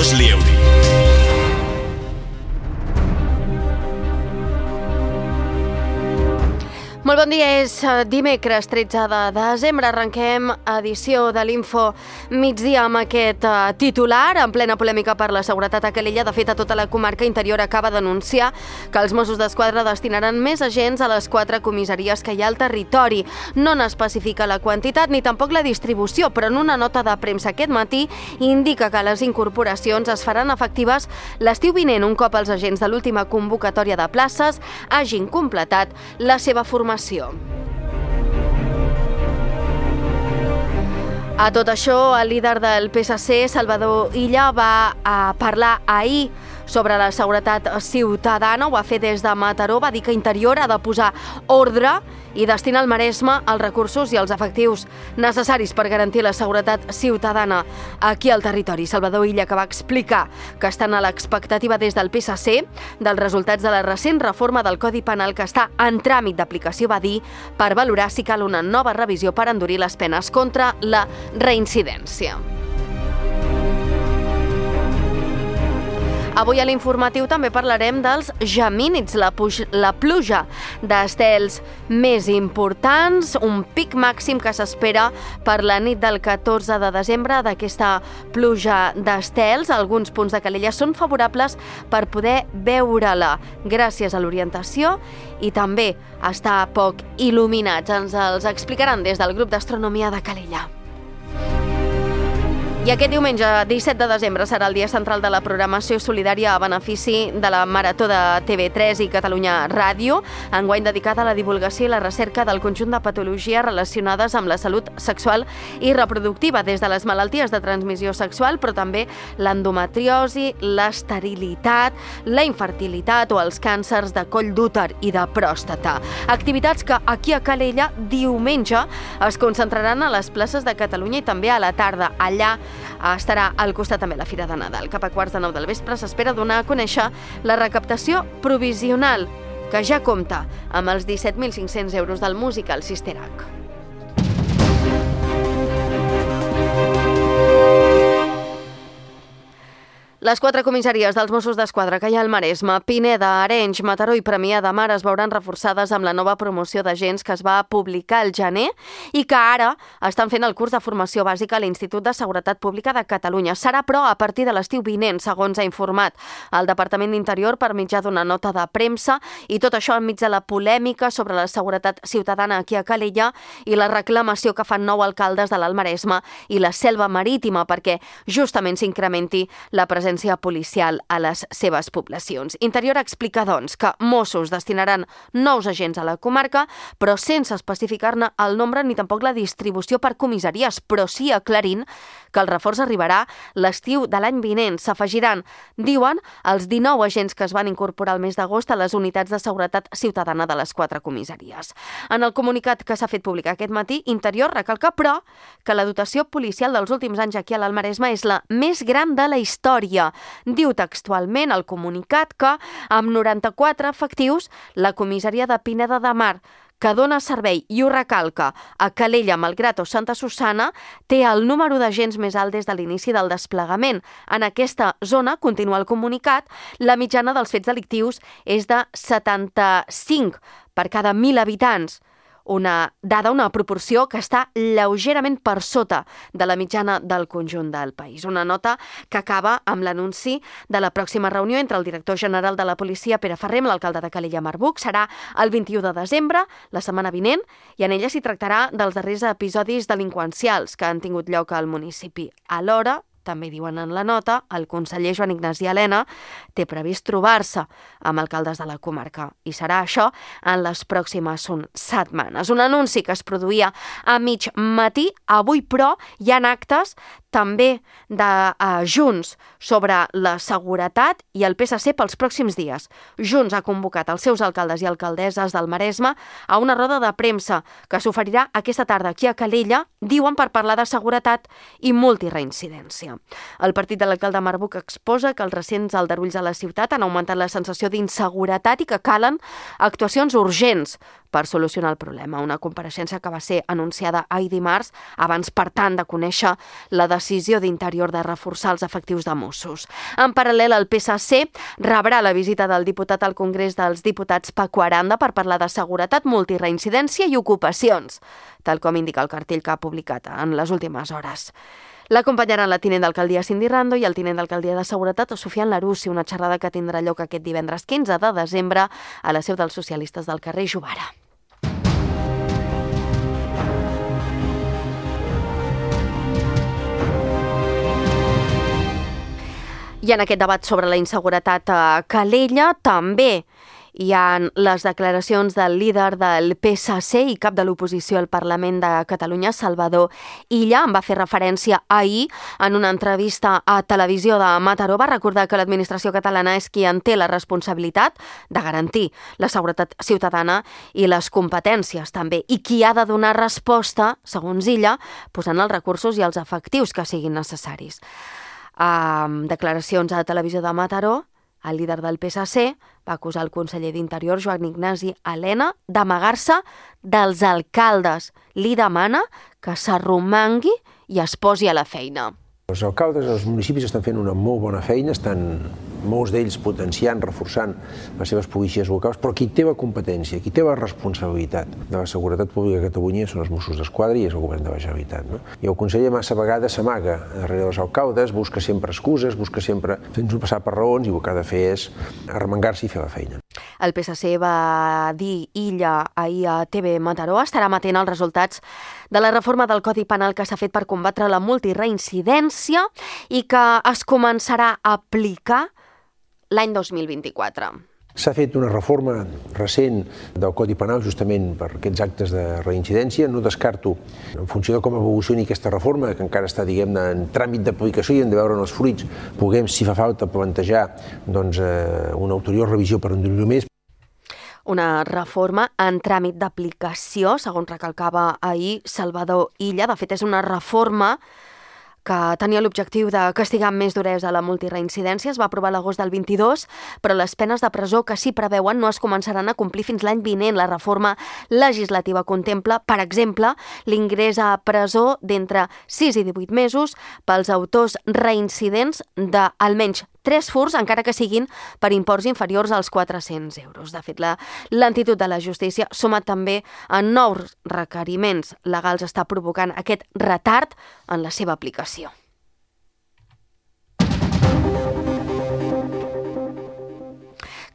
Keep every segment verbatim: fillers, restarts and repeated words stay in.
Carles Lieuri. Molt bon dia, és dimecres tretze de desembre, arrenquem edició de l'Info migdia amb aquest titular, en plena polèmica per la seguretat a Calella. De fet, a tota la comarca interior acaba d'anunciar que els Mossos d'Esquadra destinaran més agents a les quatre comissaries que hi ha al territori. No n'especifica la quantitat ni tampoc la distribució, però en una nota de premsa aquest matí indica que les incorporacions es faran efectives l'estiu vinent, un cop els agents de l'última convocatòria de places hagin completat la seva formació. A tot això, el líder del P S C, Salvador Illa, va a parlar ahir sobre la seguretat ciutadana. Ho va fer des de Mataró, va dir que Interior ha de posar ordre i destinar al Maresme els recursos i els efectius necessaris per garantir la seguretat ciutadana aquí al territori. Salvador Illa, que va explicar que estan a l'expectativa des del P S C dels resultats de la recent reforma del Codi Penal que està en tràmit d'aplicació, va dir, per valorar si cal una nova revisió per endurir les penes contra la reincidència. Avui a l'informatiu també parlarem dels gemínids, la, puj- la pluja d'estels més importants, un pic màxim que s'espera per la nit del catorze de desembre d'aquesta pluja d'estels. Alguns punts de Calella són favorables per poder veure-la gràcies a l'orientació i també està poc il·luminats. Ens els explicaran des del grup d'astronomia de Calella. I aquest diumenge, disset de desembre, serà el dia central de la programació solidària a benefici de la Marató de T V tres i Catalunya Ràdio, enguany dedicada a la divulgació i la recerca del conjunt de patologies relacionades amb la salut sexual i reproductiva, des de les malalties de transmissió sexual, però també l'endometriosi, l'esterilitat, la infertilitat o els càncers de coll d'úter i de pròstata. Activitats que aquí a Calella diumenge es concentraran a les places de Catalunya i també a la tarda. Allà estarà al costat també la Fira de Nadal. Cap a quarts de nou del vespre s'espera donar a conèixer la recaptació provisional, que ja compta amb els disset mil cinc-cents euros del musical Sisterac. Les quatre comissaries dels Mossos d'Esquadra que hi ha al Maresme, Pineda, Arenys, Mataró i Premià de Mar es veuran reforçades amb la nova promoció d'agents que es va publicar al gener i que ara estan fent el curs de formació bàsica a l'Institut de Seguretat Pública de Catalunya. Serà, però, a partir de l'estiu vinent, segons ha informat el Departament d'Interior per mitjà d'una nota de premsa, i tot això enmig de la polèmica sobre la seguretat ciutadana aquí a Calella i la reclamació que fan nou alcaldes de l'Alt Maresme i la Selva Marítima perquè justament s'incrementi la presència policial a les seves poblacions. Interior explica, doncs, que Mossos destinaran nous agents a la comarca, però sense especificar-ne el nombre ni tampoc la distribució per comissaries, però sí aclarint que el reforç arribarà l'estiu de l'any vinent. S'afegiran, diuen, els dinou agents que es van incorporar el mes d'agost a les unitats de seguretat ciutadana de les quatre comissaries. En el comunicat que s'ha fet públic aquest matí, Interior recalca, però, que la dotació policial dels últims anys aquí a l'Alt Maresme és la més gran de la història. Diu textualment el comunicat que, amb noranta-quatre efectius, la comissaria de Pineda de Mar, que dona servei, i ho recalca, a Calella, Malgrat o Santa Susanna, té el número d'agents més alt des de l'inici del desplegament. En aquesta zona, continua el comunicat, la mitjana dels fets delictius és de setanta-cinc per cada mil habitants. Una dada, una proporció que està lleugerament per sota de la mitjana del conjunt del país. Una nota que acaba amb l'anunci de la pròxima reunió entre el director general de la policia, Pere Ferrer, amb l'alcalde de Calella, Marc Buch. Serà el vint-i-u de desembre, la setmana vinent, i en ella s'hi tractarà dels darrers episodis delinqüencials que han tingut lloc al municipi. Alhora, també diuen en la nota, el conseller Joan Ignasi Elena té previst trobar-se amb alcaldes de la comarca. I serà això en les pròximes setmanes. Un anunci que es produïa a mig matí. Avui, però, hi ha actes també de uh, Junts sobre la seguretat i el P S C pels pròxims dies. Junts ha convocat els seus alcaldes i alcaldesses del Maresme a una roda de premsa que s'oferirà aquesta tarda aquí a Calella, diuen, per parlar de seguretat i multireincidència. Catalunya. El partit de l'alcalde Marbuc exposa que els recents aldarulls a la ciutat han augmentat la sensació d'inseguretat i que calen actuacions urgents per solucionar el problema. Una compareixença que va ser anunciada ahir dimarts, abans, per tant, de conèixer la decisió d'Interior de reforçar els efectius de Mossos. En paral·lel, el P S C rebrà la visita del diputat al Congrés dels Diputats Paco Aranda per parlar de seguretat, multireincidència i ocupacions, tal com indica el cartell que ha publicat en les últimes hores. L'acompanyaran la tinent d'alcaldia Cindy Rando i el tinent d'alcaldia de Seguretat Sofian Larussi, una xerrada que tindrà lloc aquest divendres quinze de desembre a la seu dels socialistes del carrer Jovara. I en aquest debat sobre la inseguretat a Calella també hi ha les declaracions del líder del P S C i cap de l'oposició al Parlament de Catalunya, Salvador Illa. En va fer referència ahir en una entrevista a Televisió de Mataró. Va recordar que l'administració catalana és qui en té la responsabilitat de garantir la seguretat ciutadana i les competències també, i qui ha de donar resposta, segons Illa, posant els recursos i els efectius que siguin necessaris. Amb declaracions a Televisió de Mataró, el líder del P S C va acusar el conseller d'Interior, Joan Ignasi Elena, d'amagar-se dels alcaldes. Li demana que s'arromangui i es posi a la feina. Els alcaldes dels municipis estan fent una molt bona feina, estan molts d'ells potenciant, reforçant les seves policies locals, però qui té la competència, qui té la responsabilitat de la seguretat pública a Catalunya són els Mossos d'Esquadra i és el govern de la Generalitat. No? I el conseller massa vegades s'amaga darrere dels alcaldes, busca sempre excuses, busca sempre fent-nos passar per raons i el que ha de fer és arremangar-se i fer la feina. El P S C va dir Illa ahir a T V Mataró estarà amatent als resultats de la reforma del Codi Penal que s'ha fet per combatre la multireincidència i que es començarà a aplicar l'any dos mil vint-i-quatre. S'ha fet una reforma recent del Codi Penal justament per aquests actes de reincidència. No descarto, en funció de com evolucioni aquesta reforma, que encara està, diguem-ne, en tràmit d'aplicació i hem de veure els fruits, puguem, si fa falta, plantejar doncs, una ulterior revisió per endurir-ho més. Una reforma en tràmit d'aplicació, segons recalcava ahir Salvador Illa. De fet, és una reforma que tenia l'objectiu de castigar amb més duresa la multireincidència. Es va aprovar l'agost del vint-i-dos, però les penes de presó que s'hi preveuen no es començaran a complir fins l'any vinent. La reforma legislativa contempla, per exemple, l'ingrés a presó d'entre sis i divuit mesos pels autors reincidents d'almenys tres furts, encara que siguin per imports inferiors als quatre-cents euros. De fet, la lentitud de la justícia, sumat també a nous requeriments legals, està provocant aquest retard en la seva aplicació.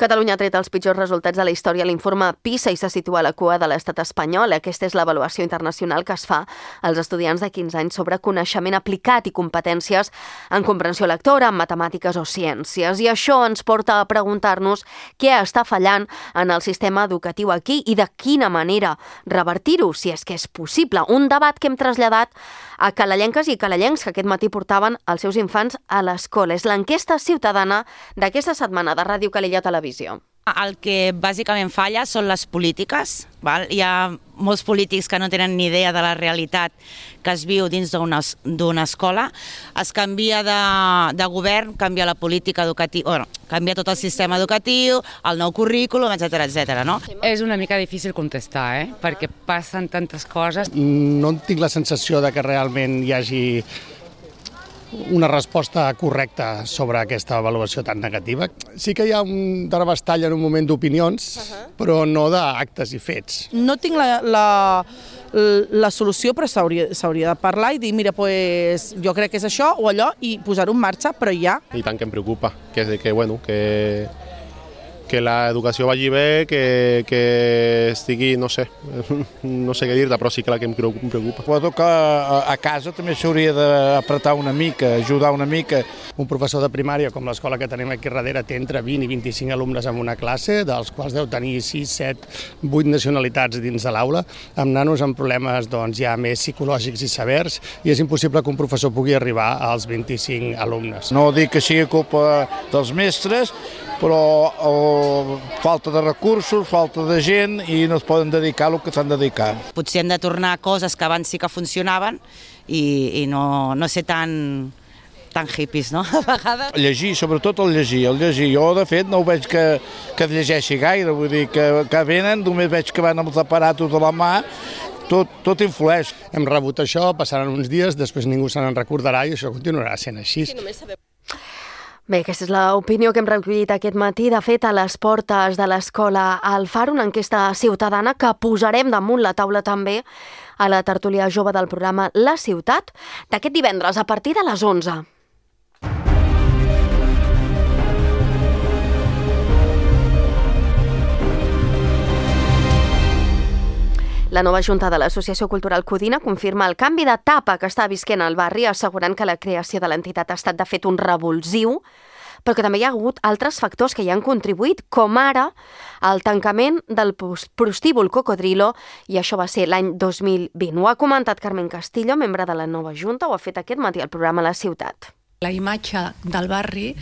Catalunya ha tret els pitjors resultats de la història a l'informe PISA i se situa a la cua de l'estat espanyol. Aquesta és l'avaluació internacional que es fa als estudiants de quinze anys sobre coneixement aplicat i competències en comprensió lectora, en matemàtiques o ciències. I això ens porta a preguntar-nos què està fallant en el sistema educatiu aquí i de quina manera revertir-ho, si és que és possible. Un debat que hem traslladat a calellenques i calellencs que aquest matí portaven els seus infants a l'escola. És l'enquesta ciutadana d'aquesta setmana de Ràdio Calella Televisió. El que bàsicament falla són les polítiques. Val? Hi ha molts polítics que no tenen ni idea de la realitat que es viu dins d'una escola. Es canvia de, de govern, canvia la política educativa, bueno, canvia tot el sistema educatiu, el nou currículum, etcètera, etcètera, no? És una mica difícil contestar, eh? Perquè passen tantes coses. No tinc la sensació de que realment hi hagi una resposta correcta sobre aquesta avaluació tan negativa. Sí que hi ha un terabastall en un moment d'opinions, uh-huh. però no d'actes i fets. No tinc la, la, la solució, però s'hauria de parlar i dir, mira, pues, jo crec que és això o allò, i posar-ho en marxa, però ja. I tant que em preocupa, que, que, bueno, que, que l'educació vagi bé, que, que estigui, no sé, no sé què dir-te, però sí que la que em preocupa. Suposo que a, a casa també s'hauria d'apretar una mica, ajudar una mica. Un professor de primària, com l'escola que tenim aquí darrere, té entre vint i vint-i-cinc alumnes en una classe, dels quals deu tenir sis, set, vuit nacionalitats dins de l'aula, amb nanos amb problemes doncs, ja més psicològics i severs, i és impossible que un professor pugui arribar als vint-i-cinc alumnes. No dic que sigui culpa dels mestres, però oh, falta de recursos, falta de gent i no es poden dedicar al que s'han de dedicar. Potser hem de tornar a coses que abans sí que funcionaven i, i no, no ser tan tan hippies, no? A vegades. Llegir, sobretot el llegir, el llegir. Jo, de fet, no ho veig que, que es llegeixi gaire, vull dir que, que venen, només veig que van amb els aparatos a la mà, tot, tot influeix. Hem rebut això, passaran uns dies, després ningú se n'en recordarà i això continuarà sent així. Bé, aquesta és l'opinió que hem recollit aquest matí. De fet, a les portes de l'escola al Far, una enquesta ciutadana que posarem damunt la taula també a la tertúlia jove del programa La Ciutat d'aquest divendres a partir de les onze. La nova junta de l'Associació Cultural Codina confirma el canvi d'etapa que està visquent el barri, assegurant que la creació de l'entitat ha estat de fet un revulsiu, però que també hi ha hagut altres factors que hi han contribuït, com ara el tancament del prostíbul Cocodrilo, i això va ser l'any dos mil vint. Ho ha comentat Carmen Castillo, membre de la nova junta, ho ha fet aquest matí al programa La Ciutat. La imatge del barri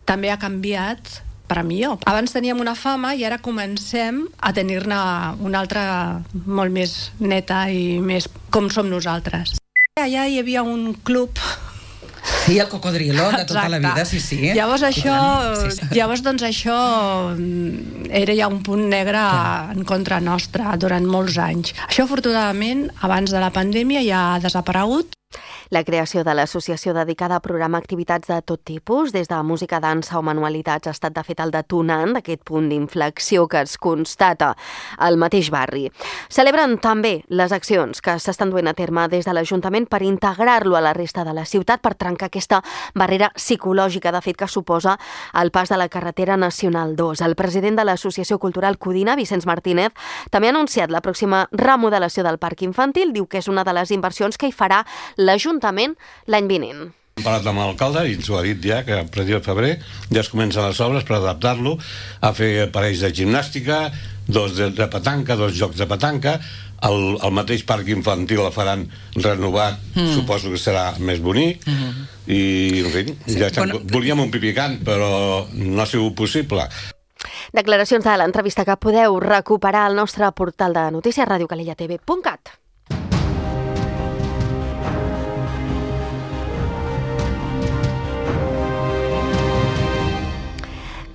també ha canviat per a millor. Abans teníem una fama i ara comencem a tenir-ne una altra molt més neta i més com som nosaltres. Allà hi havia un club. Sí, el Cocodrilo de tota la vida, sí, sí. Llavors això, sí, sí. Llavors doncs això era ja un punt negre en contra nostra durant molts anys. Això afortunadament abans de la pandèmia ja ha desaparegut. La creació de l'associació dedicada a programar activitats de tot tipus, des de música, dansa o manualitats, ha estat de fet el detonant d'aquest punt d'inflexió que es constata al mateix barri. Celebren també les accions que s'estan duent a terme des de l'Ajuntament per integrar-lo a la resta de la ciutat, per trencar aquesta barrera psicològica, de fet, que suposa el pas de la carretera Nacional dos. El president de l'Associació Cultural Codina, Vicenç Martínez, també ha anunciat la pròxima remodelació del parc infantil. Diu que és una de les inversions que hi farà l'Ajuntament l'any vinent. Hem parlat amb l'alcalde i ens ho ha dit ja, que a partir de febrer ja es comencen les obres per adaptar-lo a fer aparells de gimnàstica, dos de, de petanca, dos jocs de petanca, el, el mateix parc infantil el faran renovat, mm. suposo que serà més bonic, mm. i en fi, sí, ja bueno, volíem un pipicant, però no ha sigut possible. Declaracions de l'entrevista que podeu recuperar al nostre portal de notícies radio calella t v punt cat.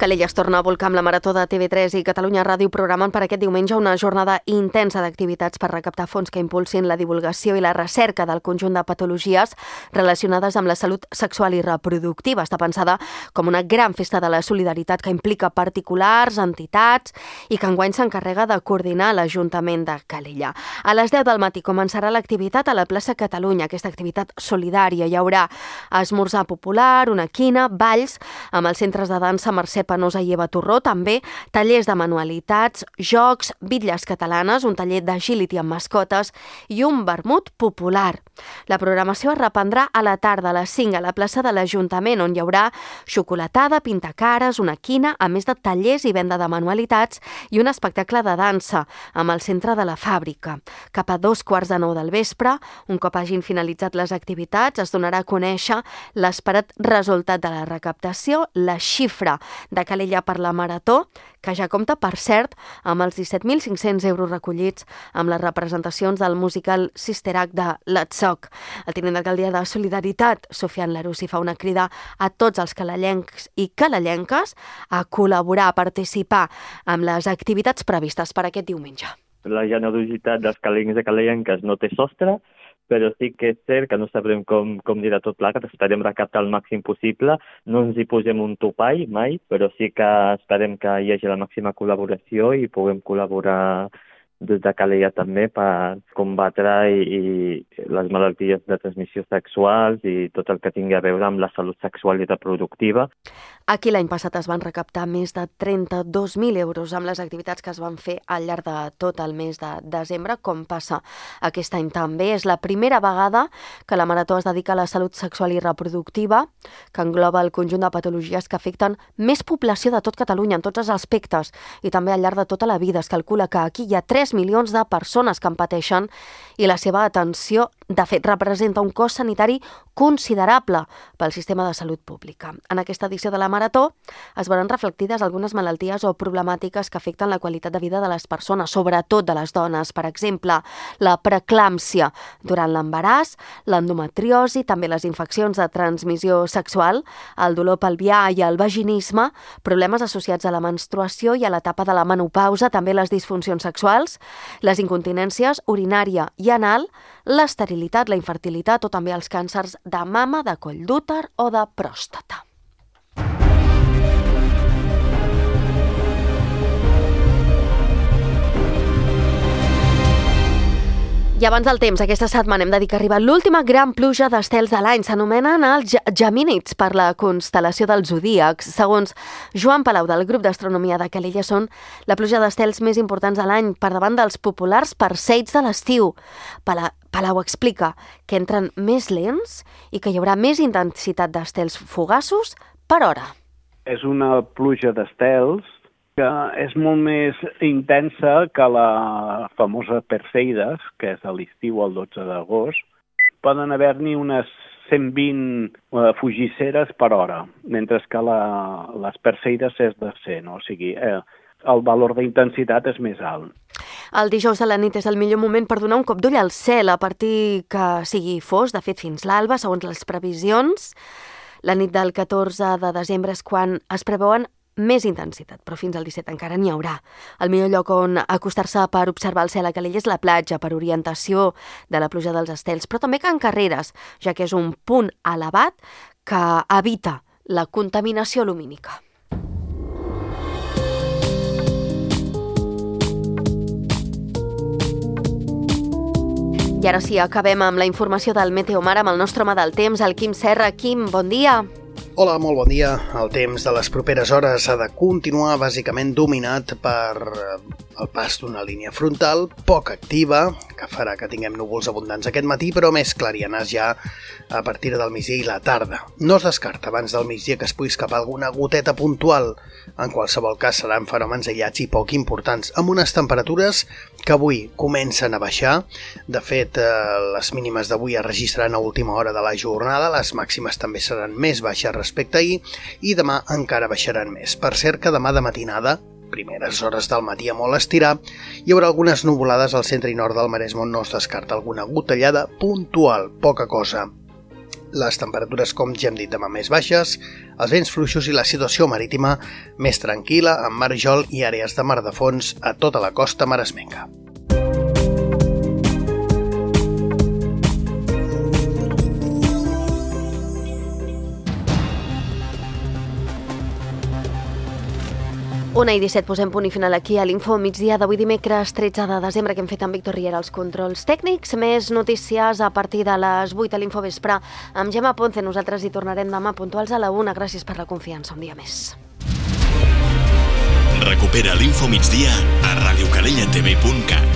Calella es torna a volcar amb la Marató de T V tres i Catalunya Ràdio programen per aquest diumenge una jornada intensa d'activitats per recaptar fons que impulsin la divulgació i la recerca del conjunt de patologies relacionades amb la salut sexual i reproductiva. Està pensada com una gran festa de la solidaritat que implica particulars, entitats i que enguany s'encarrega de coordinar l'Ajuntament de Calella. A les deu del matí començarà l'activitat a la plaça Catalunya, aquesta activitat solidària. Hi haurà esmorzar popular, una quina, balls amb els centres de dansa Mercè Penosa i Eva Torró, també tallers de manualitats, jocs, bitlles catalanes, un taller d'agility amb mascotes i un vermut popular. La programació es reprendrà a la tarda a les cinc a la plaça de l'Ajuntament, on hi haurà xocolatada, pintacares, una quina, a més de tallers i venda de manualitats i un espectacle de dansa amb el centre de la fàbrica. Cap a dos quarts de nou del vespre, un cop hagin finalitzat les activitats, es donarà a conèixer l'esperat resultat de la recaptació, la xifra de Calella per la Marató, que ja compta, per cert, amb els disset mil cinc-cents euros recollits amb les representacions del musical Sister Act de l'Atsoc. El tinent d'alcaldia de Solidaritat, Sofian Larusi, fa una crida a tots els calellencs i calellenques a col·laborar, a participar amb les activitats previstes per aquest diumenge. La generositat dels calellencs i calellenques no té sostre, però sí que és cert que no sabrem com, com dirà tot plegat, esperem recaptar el màxim possible, no ens hi posem un topall mai, però sí que esperem que hi hagi la màxima col·laboració i puguem col·laborar des de Calella també per combatre i, i les malalties de transmissió sexuals i tot el que tingui a veure amb la salut sexual i reproductiva. Aquí l'any passat es van recaptar més de trenta-dos mil euros amb les activitats que es van fer al llarg de tot el mes de desembre, com passa aquest any també. És la primera vegada que la Marató es dedica a la salut sexual i reproductiva, que engloba el conjunt de patologies que afecten més població de tot Catalunya en tots els aspectes i també al llarg de tota la vida. Es calcula que aquí hi ha tres milions de persones que en pateixen i la seva atenció De fet, representa un cost sanitari considerable pel sistema de salut pública. En aquesta edició de la Marató es veuran reflectides algunes malalties o problemàtiques que afecten la qualitat de vida de les persones, sobretot de les dones. Per exemple, la preeclàmpsia durant l'embaràs, l'endometriosi, també les infeccions de transmissió sexual, el dolor pelvià i el vaginisme, problemes associats a la menstruació i a l'etapa de la menopausa, també les disfuncions sexuals, les incontinències urinària i anal, l'esterilitat, la infertilitat o també els càncers de mama, de coll d'úter o de pròstata. I abans del temps, aquesta setmana hem de dir que arriba l'última gran pluja d'estels de l'any. S'anomenen els gemínids per la constel·lació dels zodíacs. Segons Joan Palau, del grup d'astronomia de Calella, són la pluja d'estels més importants de l'any, per davant dels populars perseids de l'estiu. Palau explica que entren més lents i que hi haurà més intensitat d'estels fugaços per hora. És una pluja d'estels que és molt més intensa que la famosa Perseides, que és a l'estiu el dotze d'agost. Poden haver-n'hi unes cent vint uh, fugisseres per hora, mentre que la, les Perseides és de cent, o sigui, eh, el valor d'intensitat és més alt. El dijous a la nit és el millor moment per donar un cop d'ull al cel, a partir que sigui fos, de fet fins l'alba, segons les previsions. La nit del catorze de desembre és quan es preveuen més intensitat, però fins al disset encara n'hi haurà. El millor lloc on acostar-se per observar el cel a Calella és la platja, per orientació de la pluja dels estels, però també Can Carreres, ja que és un punt elevat que evita la contaminació lumínica. I ara sí, acabem amb la informació del Meteomar amb el nostre home del temps, el Quim Serra. Quim, bon dia. Hola, molt bon dia. El temps de les properes hores ha de continuar bàsicament dominat per el pas d'una línia frontal poc activa, que farà que tinguem núvols abundants aquest matí, però més clarianes ja a partir del migdia i la tarda. No es descarta abans del migdia que es pugui escapar alguna goteta puntual. En qualsevol cas seran fenòmens aïllats i poc importants, amb unes temperatures que avui comencen a baixar. De fet, les mínimes d'avui es registraran a última hora de la jornada, les màximes també seran més baixes respecte a ahir, i demà encara baixaran més. Per cert que demà de matinada, primeres hores del matí a molt estirar, hi haurà algunes nuvolades al centre i nord del Maresme on no es descarta alguna gotellada puntual, poca cosa. Les temperatures, com ja hem dit, demà més baixes, els vents fluixos i la situació marítima més tranquil·la, amb mar Jol i àrees de mar de fons a tota la costa maresmenca. Una i disset, posem punt i final aquí a l'Info migdia d'avui dimecres tretze de desembre que hem fet amb Víctor Riera als controls tècnics. Més notícies a partir de les vuit a l'Info vespre amb Gemma Ponce. Nosaltres hi tornarem demà puntuals a la una. Gràcies per la confiança. Un dia més. Recupera l'Info migdia a radiocalellatv punt cat.